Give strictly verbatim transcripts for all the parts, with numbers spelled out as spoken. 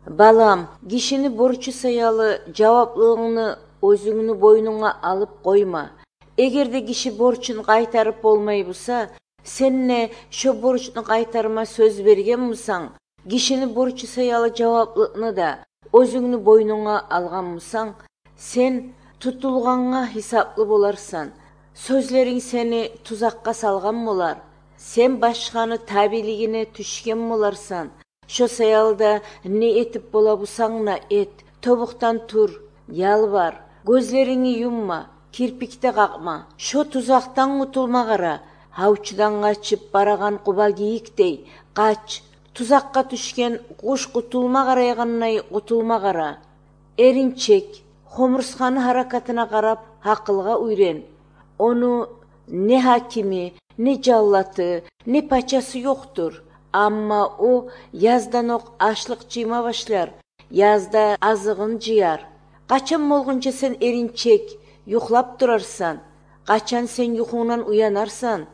Балам, кишини борчу саялы жаваплылыгыңны өзүңнү бойнуңа алып койма. Эгерде киши борчун кайтарып болмой булса, сенне шо борчуну кайтарма сөз берген мусаң, кишини борчу саялы жаваплылыкны да өзүңнү бойнуңа алган мусаң, сен тутулганга хисаплы боларсан. Сөзлериң сени тузакка салган болар. Сен башканы табилигине түшкөн боларсан. Шо саялда не этип бола булсаңна эт, тобуктан тур, ялбар, көзлериңи юмма, кирпикте какма. Шо тузактан утулмагара, аучудан качып бараган куба кийиктей кач. Тузакка түшкөн куш кутулма карайганнай кутулмагара. Эринчек, хомурсканы харакатына карап акылга үйрен. Ону не хакими, не жаллаты, не пачасы жоктур. Амма о язданок ашлык жыйма башлар, язда азыгын жыяр. Качан болгончо сен эринчек, юклап турарсан, качан сен юкуңнан уянарсан.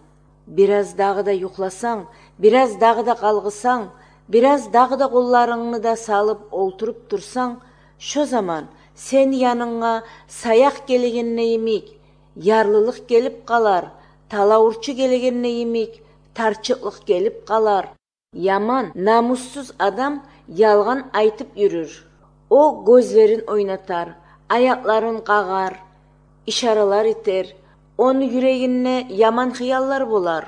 Бир аз дагы да юкласаң, бир аз дагы да калгысаң, бир аз дагы да колларыңны да салып олтуруп турсаң, шо заман сен яныңа саяк келегенне эмик, ярлылык келип калар, талаурчу келегенне эмик, тарчыклык келип калар. Яман, намуссуз адам ялган айтып жүрүр. О көзлерин ойнатар, аякларын кагар, ишаралар этер. Onu yüreğine yaman hıyallar bolar.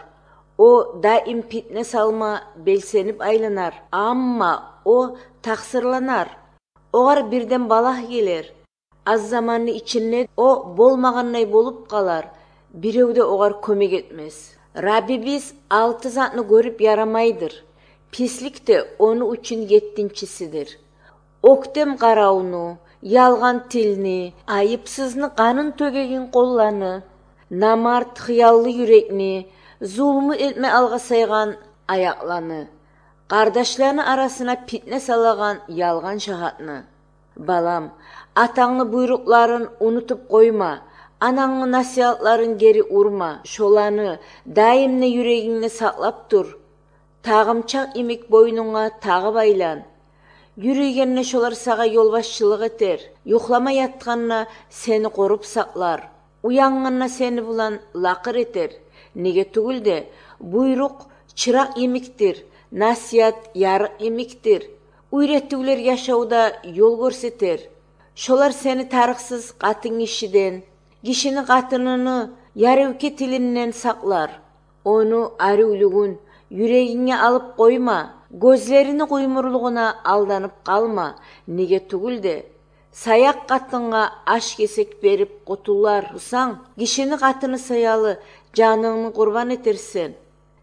O daim fitne salma belsenip aylanar. Amma o taksırlanar. Oğar birden balah gelir. Az zamanı içinde o bolmagannay bolup kalar. Birevde oğar kömek etmez. Rabbimiz altı zatını görüp yaramaydır. Pislik de onu üçün yettinçisidir. Oktem karavunu, yalgan tilini, ayıpsızını kanın tögegin kollarını, namart hıyallı yürekni, zulmü etme alga saygan ayaklanı, kardeşlerini arasına fitne salagan yalgan şahatını. Balam, atаңны buyrukların unutup koyma, anаңны nasihatların geri urma, şolаны daimne yüreğinle saklap dur. Tağımçak imek boynuna tağı baylan. Yürüygenine şolar sağa yolbaşçılık eter. Yuklama yatkanına seni korup saklar. Uyanganına seni bulan lakır eter. Nege tugul de buyruk çırak emiktir. Nasihat yarık emiktir. Uyrettigiler yaşauda yol görseter. Şolar seni tarıksız katın işiden, kişinin katınını yarıvke tilinden saklar. Onu arıulugun yüreğine alıp koyma. Gözlerini kuymurluğuna aldanıp kalma. Nege tugul de sayak katınga aş kesek berip kutular usan, kişini katını sayalı canını kurban etersen.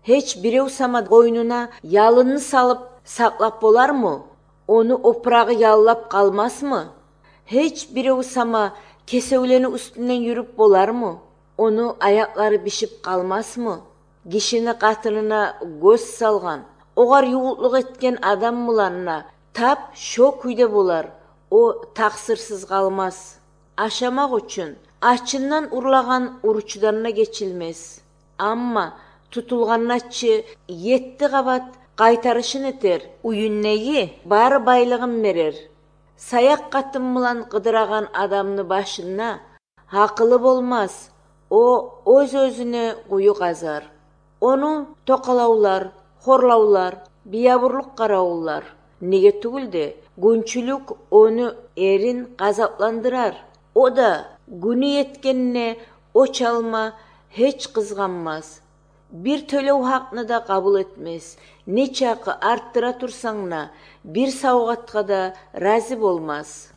Hiç birev sama koynuna yalını salıp saklap bolar mı? Onu oprağı yallap kalmaz mı? Hiç birev sama kesevleni üstünden yürüp bolar mı? Onu ayakları bişip kalmaz mı? Kişini katınına göz salgan, oğar yuğutluk etken adam bulanına tap şo kuyda bolar. O taksırsız kalmaz. Aşamak üçün açından urlagan uruçlarına geçilmez. Amma tutulgannaçı yetti kabat kaytarışın eter. Uyunneyi bar baylığın verir. Sayak katın bulan kıdıragan adamını başına hakılı bolmaz. O öz özüne kuyu kazar. Onu tokalaular, horlaular, biyaburluk karaullar. Nege tugul de günçülük onu erin gazaplandırar. O da günü yetkenine o çalma hiç kızganmaz. Bir tölev hakkını da kabul etmez. Ne çakı arttıra tursangna bir savgatka da razı olmaz.